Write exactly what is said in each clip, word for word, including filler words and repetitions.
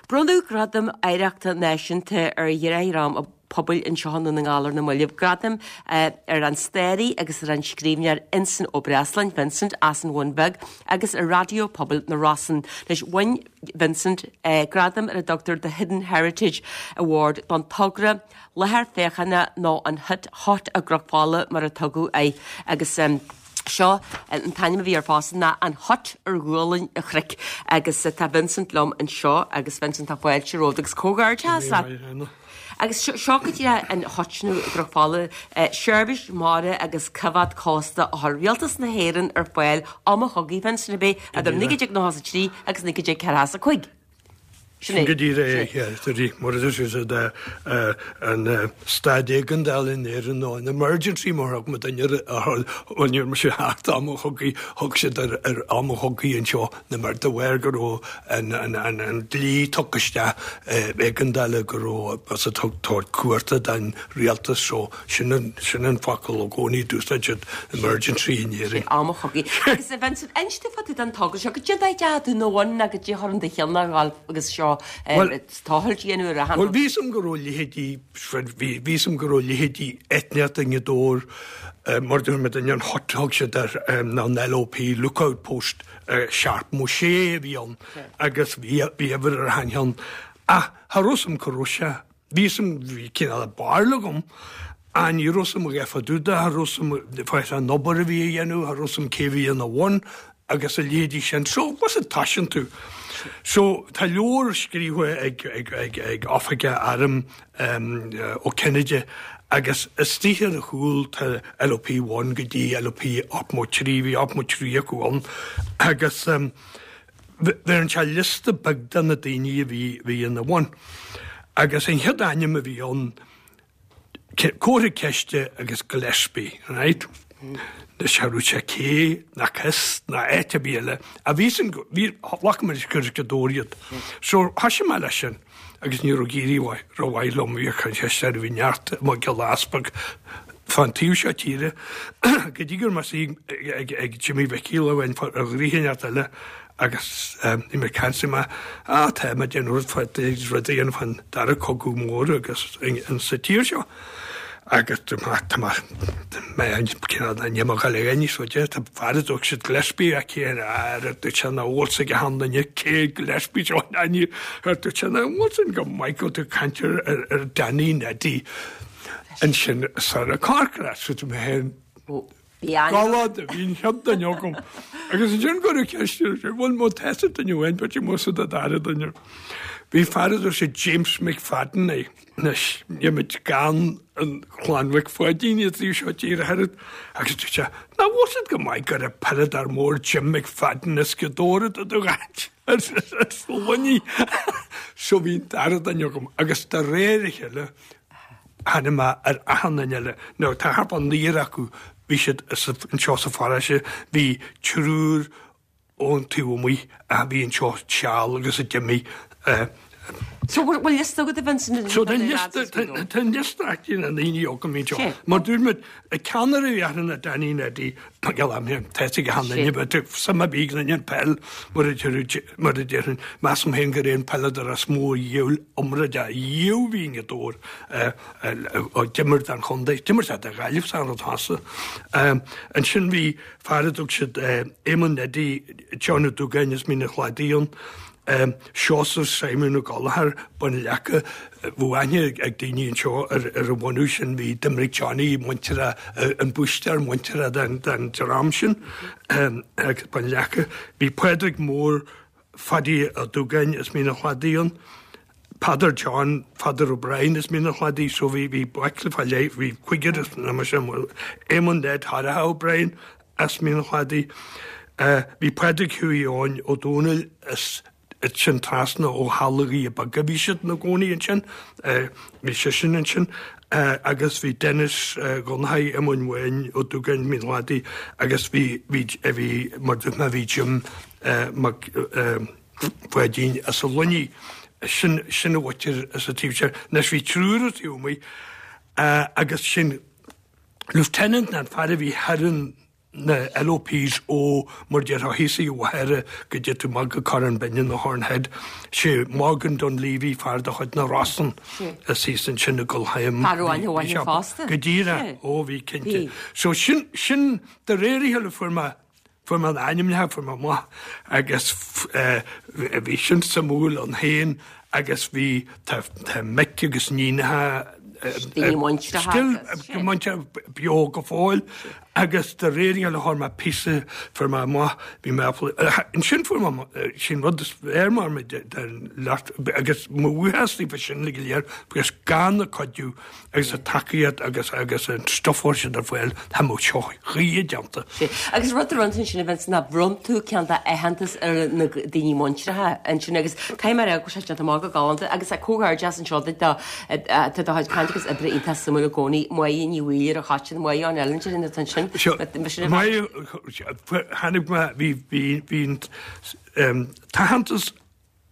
Bronnadh Gradam Oidhreachta Náisiúnta ar dhream pobail anseo i nDún na nGall ar na mallaibh gradam ar an staraí agus ar an scríbhneoir Uinseann Ó Breasláin Vincent as an Bhun Bheag agus ar Raidió Pobail na Rosann. Leis bhain Vincent eh, gradam ar a dtugtar The Hidden Heritage Award don togra láthair féachana nó an hut hot i gCnoc Fola mar a tugadh é agus um, Seo an t-ainm a bhí ar fosta ná an hut ar ghualainn an chnoic agus tá Vincent liom anseo agus Vincent tá fáilte romhat agus comhghairdeas leat. Agus seo go dtí an hut nó Cnoc Fola seirbhís mara agus coimhéad cósta a chuir Rialtas na hÉireann ar fáil am an chogaidh Vincent a b'é idir naoi déag nócha trí agus naoi déag ceathracha cúig. Sin go díreach é mar is an staid éigeandála in Éirinn nó an emergency mar thug duine ar sé thart am an chogaidh thug siad ar am an chogaidh anseo na mar de bharr go raibh an dlí tugtha isteach éigeandála go raibh as a tabhairt cumhachta don rialtas so sin sin an focal i gcónaí d'úsáid siad emergency in Éirinn. Am an chogaidh. Agus a Vincent inis fá dtaobh den togra seo go dtí tú nó bhain go dtí chur an do cheann agus seo tochailt a dhéanamh ar a Well bhí am go raibh leithéidí bhí am go raibh leithéidí eitneacht i nGaoth Dobhair mar dúirt an hut thug siad ar an LOP lookout post seacht mó sé a bhí ann agus bhí bhí ar hain ach cha raibh am go raibh sé bhí am bhí cineál barúil agam a ní raibh am go fadúda cha raibh am fá an obair a bhí a dhéanamh cha raibh am cé bhí ina bhun agus a leithéidí sin so was it taisin tú. So tá leabhar scríofa ag ag ag ag oifigeach airm um, ó Kennedy agus istigh ar a chúl tá LOP one go dtí LOP ochtó trí bhí ochtó trí acu ann agus um, bhí an sé liosta beag de na daoine a bhí bhí ina bhun. Agus an chéad ainm a bhí ann comhartha ceiste agus Gillespie, right? Na seú sé cé na cys na áit a bhí eile a bhí san bhí mar gur go dóiad. So tha me leis sin agus ní raibh géirí rohhaid liom bhí chu sé bhí neart má go leaspag fan taobh seo tíre go dtí gur mas ag ag Jimmy Mhicí a bhain a ghríhéart eile agus ní mé cansa me á tá me den rud rud an fan dara cogadh mór agus an sa tír seo. agus mé an go le ní so tá fear siad Gillespie a cé ar du na bhsa go handaine cé Gillespie seo aní ar du na bhsan go Michael tú caintear ar Danny Neddy ansin Sarah Corcra so mé héin Galad a bhín chean agam. Agus ansin go ceiste bhfuil mó testa duine bhain be mu a dara duine. Bhí fear sé James McFadden é Anois nímid gan an chlann Mhic Pháidín i trí seo tír head agus tú sé ná bhsad go maith gur a peileadóir mór Jim McFadden is go dóra do do gáit luní so bhí dara duine agam agus de réir a chéile tháinig mé ar achan duine eile nó tá thart an naonúr acu bhí siad anseo sa pharóiste bhí triúr ón taobh amuigh a bhí anseo seal agus a d'imigh So bhfuil liosta agat a Vincent So tá liosta na ndaoine agam mí seo. Mar dúirt a ceannaire a bhí na Danny Neddy tá go han sam a bí an peil mar mar a déarfainn measaim féin gur aon peileadóir as mó dhíol iomrá riamh bhí i dór d'imir don chontae, d'imir sé do Ghaillimh san rud hasa. Ansin bhí fear a dtug siad Éamon Neddy John Ó Dúgáin is Mín an Chladaigh ann. Um, Seosamh Simon Ó Gallchóir Bun Leaca bhuaine ag daoine anseo ar ar an bhunú sin bhí d'imir Johnny muintire an búistear muintire den den dream sin um, ag Bun Leaca. Bhí Pádraig Mór Fadí Ó Dúgáin is Mín an Chladaigh ann. Peadar John Father O'Brien is Mín an Chladaigh so bhí bhí buaicle fá leith bhí cúigear is na mar sin Éamon Ned Harraha O'Brien as Mín an Chladaigh. Uh, bhí Pádraig Hughie Eoin Ó Dónaill is sin trasna ó halaí beaga bhí siad na gcónaí ansin bhí sé sin ansin agus bhí Dennis Gonhaí Eamoin Bháin Ó Dúgáin Mín an Chladaigh agus bhí bhí bhí mar dúirt mé bhí Jim Mac Pháidín as a Luiní sin sin a bhaitir as a taobh sin Anois bhí triúr taobh amuigh agus sin Lieutenant an fear a bhí thar an na LOPs ó mar déarfá thíos i Mhachaire go dtí tú amach go Corrán Binne nó Horn Head. Sé Morgan Dunleavy fear de chuid na Rosann is thíos ansin i gCoill Choim. Fear amháin a bhain fosta. Go díreach, ó bhí cinnte. So sin sin de réir a chéile fuair mé fuair mé an ainmneacha fuair mé amach agus bhí sin suimiúil ann féin agus bhí tá tá mic agus níonacha Daoine muinteartha Still muinteartha beo go fóill agus de réir a chéile fuair mé píosa fuair mé amach bhí mé ansin fuair mé sin rud is fearr mar mé den leart agus mo bhuíochas daofa sin go léir agus gan a cuidiú agus a tacaíocht agus agus an stuff a chuir siad ar fáil tá mo seo choíche déanta. Agus rud a rinne sin a Vincent ná bhronn tú ceann de aitheantas ar na daoine muinteartha ansin agus caithfidh mé a rá go bhfuil sé déanta amach go galánta agus comhghairdeas anseo duit do tá do chuid cainte agus oibre iontach suimiúil i gcónaí Máire Ní Mhaoil ar an Choiteann Máire an Ellen sin atá ansin. Máire tháinig mé bhí bhí bhí an t-aitheantas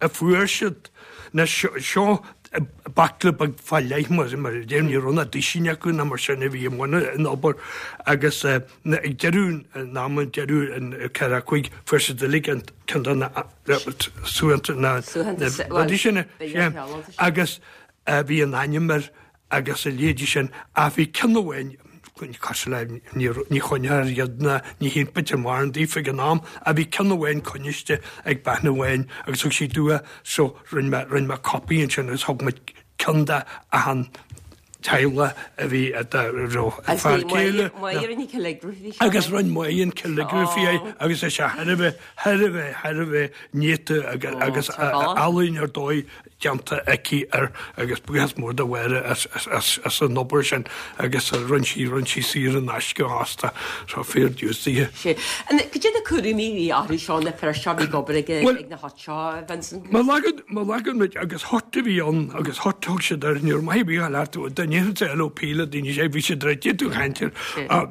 a fuair siad na seo baicle beag fá leith mar mar a deir ní raibh na duisín acu ná mar sin a bhí i mbun an obair agus ag deireadh an ama deireadh an ceathracha cúig fuair siad uilig an ceann de na suaitheantais na rudaí sin agus bhí an ainm air agus a leithéidí sin ach bhí ceann amháin cosúil le ní choinneoir iad na ní híonn mar an daofa ag an am a bhí ceann amháin coinniste ag bean amháin agus thug sí dua so rinne mé rinne mé copy ansin agus thug muid ceann de achan teaghlach a bhí raibh fear céile agus rinne Máire an calligraphy agus é sé thar a bheith thar a bheith thar a bheith néata agus ealaín ar dóigh déanta aici air agus buíochas mór do Mháire as as as an obair sin agus rinne sí rinne sí saor in aisce fosta so fair dues di. Sé. Cad iad na cúraimí a bhí orthu seo na fir seo a bhí ag obair ag ag na hut seo Vincent? Má leagann má leagann muid agus hut a bhí ann agus hut thug siad air ní raibh maith ar bith leat dá ndéarfainnse LOP le daoine sé bhí siad réitithe tú caint air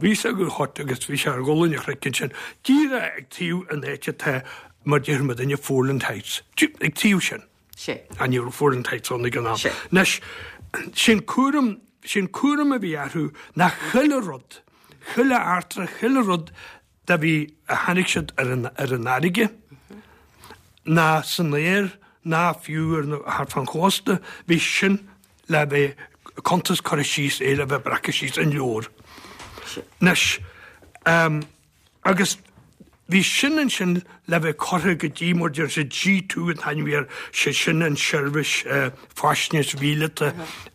bhí sé go hut agus bhí sé ar ghualainn an chnoic ansin díreach ag taobh an áit atá mar déarfaidh muid inniu Foreland Heights ag taobh sin. Sé. Á ní raibh Foreland Heights ann ag an am. Anois, sin cúram, sin cúram a bhí orthu ná chuile rud, chuile eachtra, chuile rud da bhí, a tháinig siad ar an, ar an fharraige, ná san aer, ná fiú ar na, thart fán chósta, bhí sin le bheith cuntas curtha síos, é le bheith breactha síos in leabhar. Anois, um, agus Bhí sin ansin le bheith curtha go dtí mar deir siad G two an t-ainm a bhí air, sé sin an seirbhís faisnéis mhíleata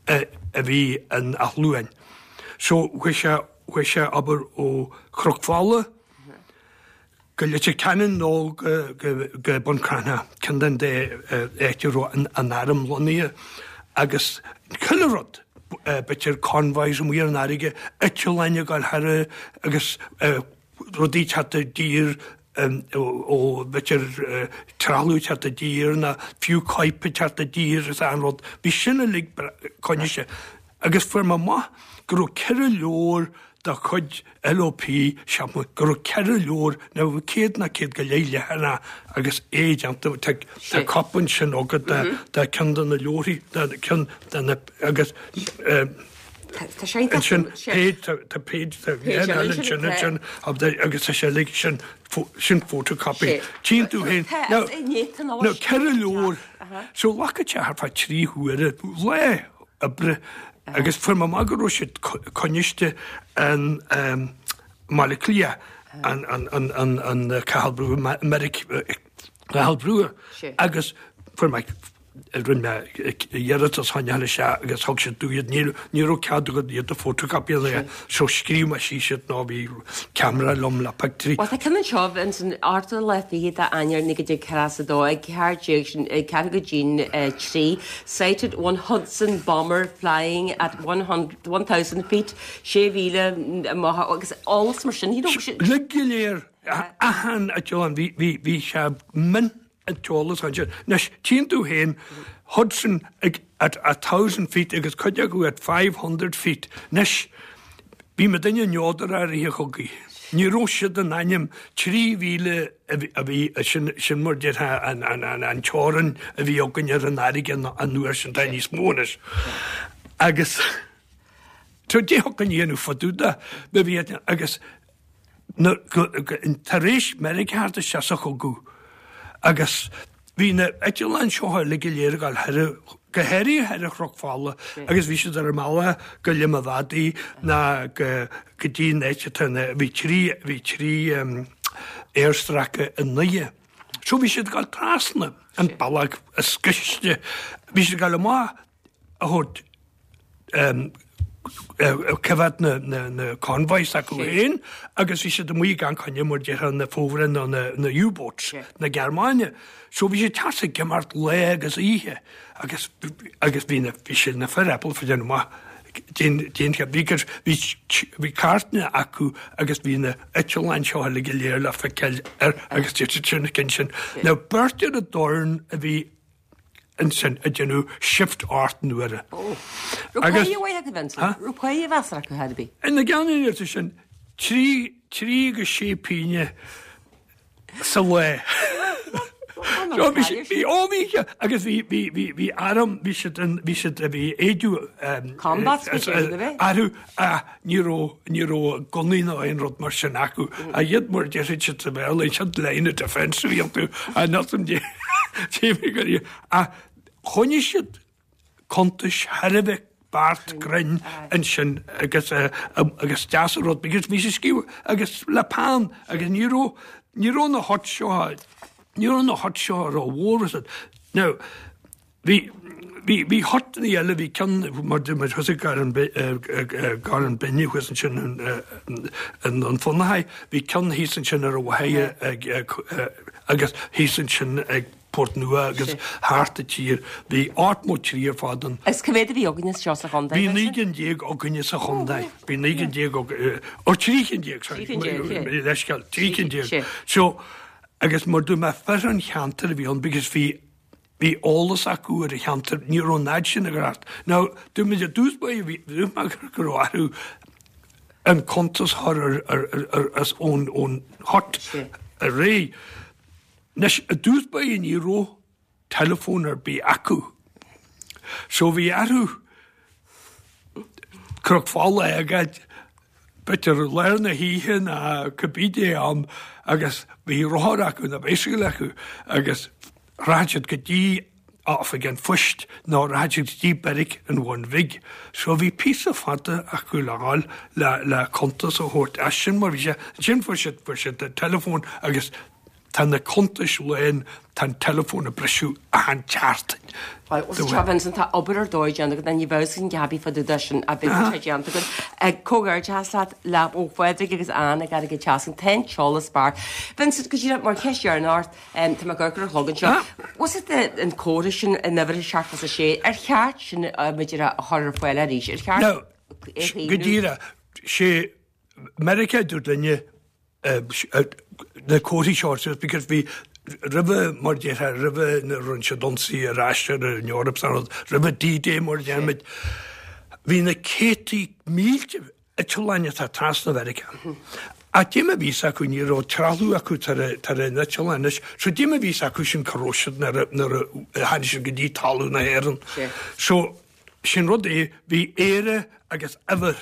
a bhí in Áth Luain. So chuaigh sé, chuaigh sé abair ó Chnoc Fola go Leitir Ceanainn nó go, go, go Bun Cranncha, ceann den dá áit a raibh an, an arm lonnaithe agus chuile rud, b'fhéidir convoys amuigh ar an fharraige, eitleáin ag gabháil thar agus rudaí ag teacht i dtír ó b'fhéidir trealamh ag teacht i dtír nó fiú coirp ag teacht i dtír is achan rud. Bhí sin uilig coinniste. Agus fuair mé amach go raibh ceithre leabhar de chuid LOP, cheap mé go raibh ceithre leabhar, nó bhí céad nó céad go leith leathanach agus é déanta, tá tá cóip ansin agat de de ceann de na leabharthaí, de ceann de na agus Tá sé iontach. Ansin page tá page tá page eile ansin ansin agus tá sé uilig sin sin photocopy. Tchíonn tú féin. Now now ceithre leabhar. So ghlacfadh sé thart fá trí huaire lá oibre agus fuair mé amach go raibh siad coinniste in mBaile Átha Cliath an an an an an Cathal Brugha Meiric Cathal Brugha agus fuair mé Rinne mé iarratas choinneáil isteach agus thug siad domh iad. Ní raibh cead agat iad a photocopy a dhéanamh so scríobh mé síos iad nó bhí ceamara liom le pictiúirí. Bhuel tá ceann anseo ins an ochtú lá fichead de Eanáir naoi déag ceathracha a dó ag ceathair déag sin ag ceathrú go dtí'n trí Sighted one Hudson bomber flying at one hundred one thousand feet sé mhíle amach agus eolas mar sin you know. Uilig go léir achan eitleán bhí bhí bhí sé min an t-eolas ansin. Anois, tchíonn tú féin Hudson ag at a thousand feet agus cuid acu at five hundred feet. Anois, bhí muidinne neodar i rith an chogaidh. Ní raibh siad in ainm trí mhíle a bhí, sin, sin mar déarfá an, an, an, an teorainn a bhí againn ar an fharraige an, an uair sin, tá níos mó anois. Agus so d'fhéadfadh an dhéanamh fadúda, ba bhí agus Tar éis Meiriceá theacht isteach sa chogadh agus bhí na eitleáin seo uilig go léir ag dul thoir, go háirithe thoir ar Chnoc Fola agus bhí siad ar a mbealach go Limavady ná go go dtí an áit atá na, bhí trí, bhí trí aerstráice i nDoire. So bhí siad ag dul trasna an bealach is gaiste, bhí siad ag dul amach a thabhairt coimhéad na convoys acu féin agus bhí siad amuigh gan coinne mar déarfá na fomhuireáin nó na U-boats na Gearmáine. So bhí siad teas ag imeacht lá agus oíche agus agus bhí na bhí siad na fir ábalta fá déanamh amach dén dén bhí bhí bhí cairteanna acu agus bhí na eitleáin seo uilig go léir le feiceáil ar agus dúirt siad sin na cinn sin. Now beirt ar an dorn a bhí ansin ag déanamh shift ocht n-uaire. Agus. Raibh páighe mhaith acu, Vincent? Raibh páighe mheasartha acu thar bith? Ina gceann an sin, trí, trí go sé pínne sa lá. So bhí sí, bhí, ó bhí, agus bhí, bhí, bhí, bhí arm, bhí siad in, bhí siad, bhí éidiú, Combat bhí siad, bhí? orthu, ach ní raibh, ní raibh gunnaí ná aon rud mar sin acu. A iad mar déarfaidh siad sa Bhéarla, siad line of defence a bhí iontu, a not an dé. Ach choinnigh siad cuntais thar a bheith beacht cruinn ansin agus agus deas an rud because bhí sé scríofa agus le peann agus ní raibh ní raibh na huts seo ní raibh na huts seo rómhór is Now bhí bhí bhí hutanna eile bhí ceann mar mar thosaigh Garrán Garrán Binne thuas ansin an an Fionnachaidh bhí ceann thíos ansin ar an Mhachaire ag agus thíos ansin ag Port Nua agus thart an tír. Bhí ocht mó trí ar fad ann. Agus cá mhéad a bhí againne seo sa chontae? Bhí naoi gcinn déag againne sa chontae. Bhí naoi gcinn déag ó trí cinn déag, sorry. Trí cinn déag, yeah. Leithscéal, trí cinn déag. So, agus mar dúirt mé fir an cheantair a bhí ann because bhí bhí eolas acu ar an cheantar, ní raibh an fhad sin ag thart. Now, dúirt muid i dtús báire, bhí, dúirt mé go raibh orthu an cuntas a chur ar, ar, ar, ar, as ón, ón hut ar réidh. Anois, i dtús báire ní raibh teileafón ar bith acu. So bhí orthu Cnoc Fola a fhágáil, b'fhéidir i lár na hoíche ná cibé dé am agus bhí rothar acu nó bicycle acu agus rachadh siad go dtí oifig an phoist nó rachadh siad go dtí beairic an Bhun Bhig. So bhí píosa fada acu le dhul le, le cuntas a thabhairt as sin mar bhí sé, ansin fuair siad, fuair siad teileafón agus tá na cuntais lán, tá an teileafón ag briseadh achan tseachtain. Bhuel, seo Vincent, tá obair ar dóigh déanta agat, ní bheadh sin Gabi fá dtaobh de sin a bheadh sé déanta agat. Comhghairdeas leat le ó Phádraig agus Anne ag Airgead Teasc, tá an t-eolas beart. Vincent, go díreach mar cheist dheireanach ort, tá mé ag amharc ar an chlog anseo, was it an comhartha sin in uimhir a seacht is a sé, ar cheart sin b'fhéidir a chur ar fáil arís, ar cheart Now, é a go chaomhnú? díreach, sé Meiriceá a dúirt linne na comharthaí seo suas because bhí roimhe mar déarfá roimhe na rinne siad ionsaí ar ais ar an Eoraip san rud roimhe D-Day mar a déarfaimid bhí na céadtaí mílte eitleáin atá trasna Mheiriceá. Ach dé mar a bhí acu ní raibh trealamh acu tar tar an eitleán anois so dé mar a bhí acu sin cá raibh siad nuair a nuair a tháinig siad go dtí talamh na hÉireann. So sin rud é bhí Éire agus uimhir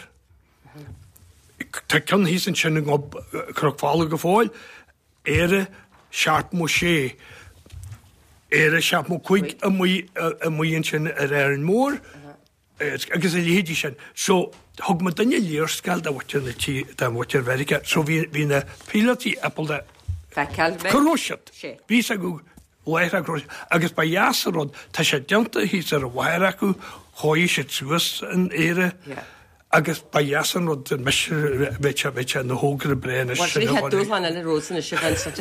Tá ceann thíos ansin i ngob Chnoc Fola go fóill, Éire seacht mó sé, Éire seacht mó cúig amuigh amuigh ansin ar Árainn Mhór agus a leithéidí sin. So thug muidinne léarscáil do mhuintir na tí do mhuintir Mheiriceá. So bhí bhí na píolótaí ábalta Feiceáil. Cá raibh siad. Sé. Bhí 'fhios acu láithreach cá raibh siad. Agus ba dheas an rud, tá sé déanta thíos ar an mhachaire acu, chuaigh siad suas in Éire. Yeah. Agus ba dheas an rud mise bheadh sé bheadh sé ina thogra breá anois Bhuel, sin an dúshlán eile romhat anois a Vincent.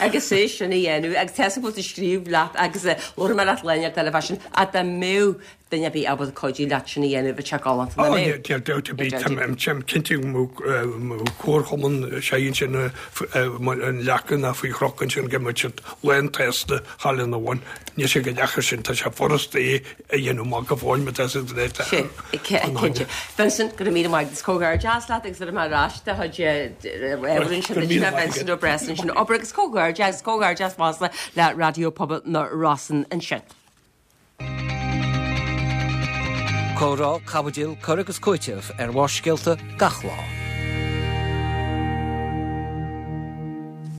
Agus é sin a dhéanamh agus tá fhios agam go bhfuil tú ag scríobh leat agus labharfaidh mé leat lá inteacht eile fá sin ach dá mbeadh duine ar bith ábalta cuidiú leat sin a dhéanamh bheadh sé galánta nach mbeadh? Ó, níl dabht ar bith, táim cinnte go mbeadh comharchumann sé ansin an leaca ná faoi chnoc ansin go mbeadh siad lán tsásta dhul ina bhun. Níl sé chomh deacair sin, tá sé furasta é a dhéanamh amach go fóill má tá sé léite. Cinnte. Vincent, go raibh míle maith agat, comhghairdeas leat agus ar ar ais do chuid ábhar ansin duit, Vincent Ó Breasáin ansin obair agus comhghairdeas, comhghairdeas fosta le Raidió Pobail na Rosann ansin. Comhrá, caibidil, cur agus cúiteamh ar Bharrscéalta gach lá.